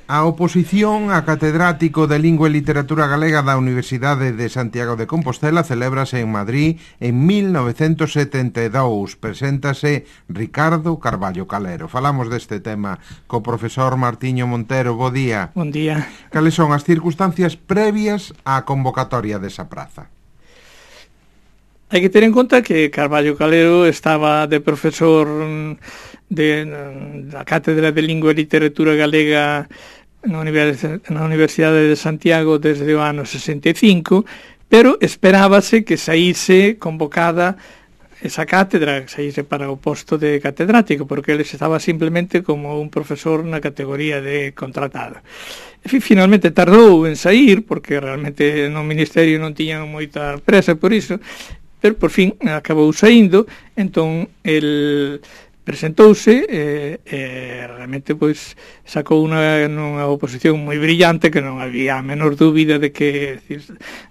A oposición a catedrático de Lingua e Literatura Galega da Universidade de Santiago de Compostela celébrase en Madrid en 1972. Preséntase Ricardo Carballo Calero. Falamos deste tema co profesor Martiño Montero. Bo día. Bon día. Cales son as circunstancias previas á convocatoria desa praza? Hai que ter en conta que Carballo Calero estaba de profesor da Cátedra de Lingua e Literatura Galega na Universidade de Santiago desde o ano 65, pero esperábase que saíse convocada esa cátedra, que saíse para o posto de catedrático, porque ele estaba simplemente como un profesor na categoría de contratado. E finalmente tardou en sair, porque realmente no Ministerio non tiñan moita presa por iso, pero por fin acabou saindo. Entón el presentouse e realmente pois sacou nunha oposición moi brillante, que non había a menor dúbida de que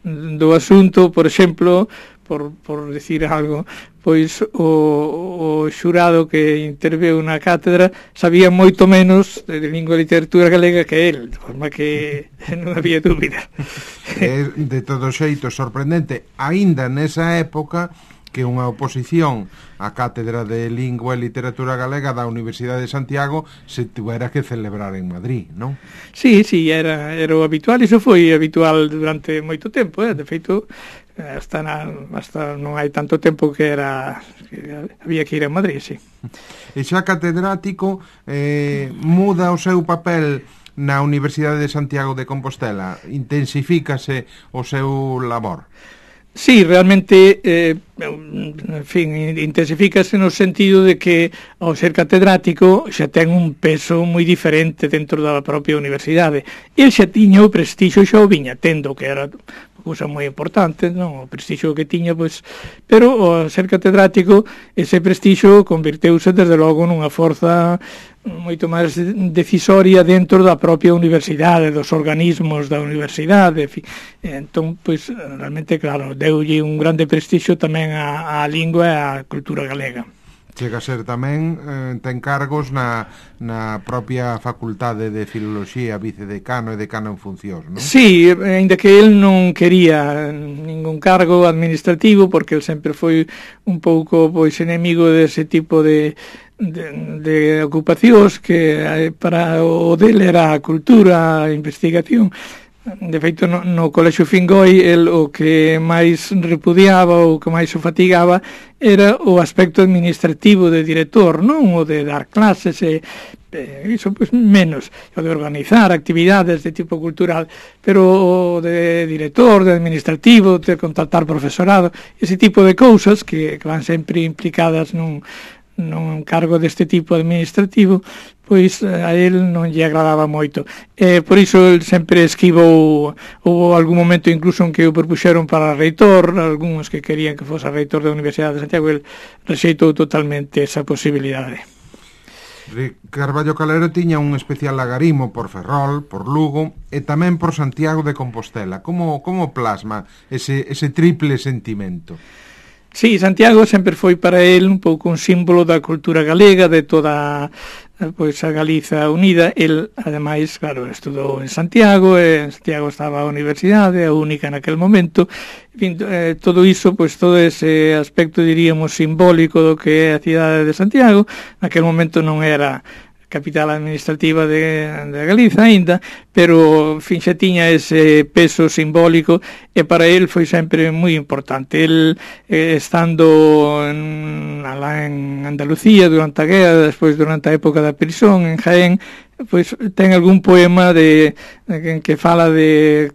do asunto, por exemplo, por decir algo, pois o xurado que interveu na cátedra sabía moito menos de lingua e literatura galega que el, de forma que non había dúbida. É de todo xeito sorprendente, aínda nesa época, que unha oposición á Cátedra de Lingua e Literatura Galega da Universidade de Santiago se tuvera que celebrar en Madrid, non? Sí, era o habitual, iso foi habitual durante moito tempo, de feito, hasta non hai tanto tempo que había que ir a Madrid, sí. E xa catedrático, muda o seu papel na Universidade de Santiago de Compostela, intensifícase o seu labor? Sí, realmente, en fin, intensifícase no sentido de que ao ser catedrático xa ten un peso moi diferente dentro da propia universidade. El xa tiña o prestixio, xa o viña tendo, que era cousa moi importante, non? O prestixio que tiña, pois, pero ao ser catedrático ese prestixio convirteuse desde logo nunha forza moito máis decisoria dentro da propia universidade, dos organismos da universidade, en fin. Entón, pois, realmente, claro, deulle un grande prestixio tamén á lingua e á cultura galega. Chega a ser tamén, ten cargos na propia Facultade de Filoloxía, vicedecano e decano en funcións, non? Sí, ainda que el non quería ningún cargo administrativo, porque el sempre foi un pouco pois enemigo dese tipo de ocupacións, que para o dele era a cultura, a investigación. De feito, no Colexio Fingoi, el o que máis repudiaba, o que máis o fatigaba, era o aspecto administrativo de director, non o de dar clases, iso pois menos, o de organizar actividades de tipo cultural, pero o de director, de administrativo, de contratar profesorado, ese tipo de cousas que van sempre implicadas nun cargo deste tipo administrativo, pois a él non lle agradaba moito. Por iso el sempre esquivou. Houve algún momento incluso en que o propuxeron para reitor, algúns que querían que fose reitor da Universidade de Santiago, el rexeitou totalmente esa posibilidade. Carballo Calero tiña un especial agarimo por Ferrol, por Lugo e tamén por Santiago de Compostela. Como plasma ese triple sentimento? Sí, Santiago sempre foi para él un pouco un símbolo da cultura galega, de toda pois a Galiza unida. El, ademais, claro, estudou en Santiago, e en Santiago estaba a universidade, a única naquel momento. En fin, todo iso, pois todo ese aspecto, diríamos, simbólico do que é a cidade de Santiago, naquel momento non era capital administrativa de Galiza aínda, pero, en fin, xa tiña ese peso simbólico, e para el foi sempre moi importante. El, estando alá en Andalucía durante a guerra, despois durante a época da prisión en Jaén, pois ten algún poema que fala de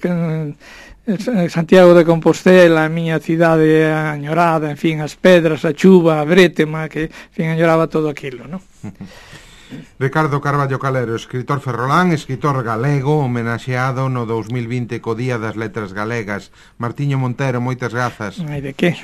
Santiago de Compostela, a miña cidade añorada, en fin, as pedras, a chuva, a brétema, que, en fin, añoraba todo aquilo, non? Ricardo Carballo Calero, escritor ferrolán, escritor galego, homenaxeado no 2020 co Día das Letras Galegas. Martiño Montero, moitas grazas. Ai, de que?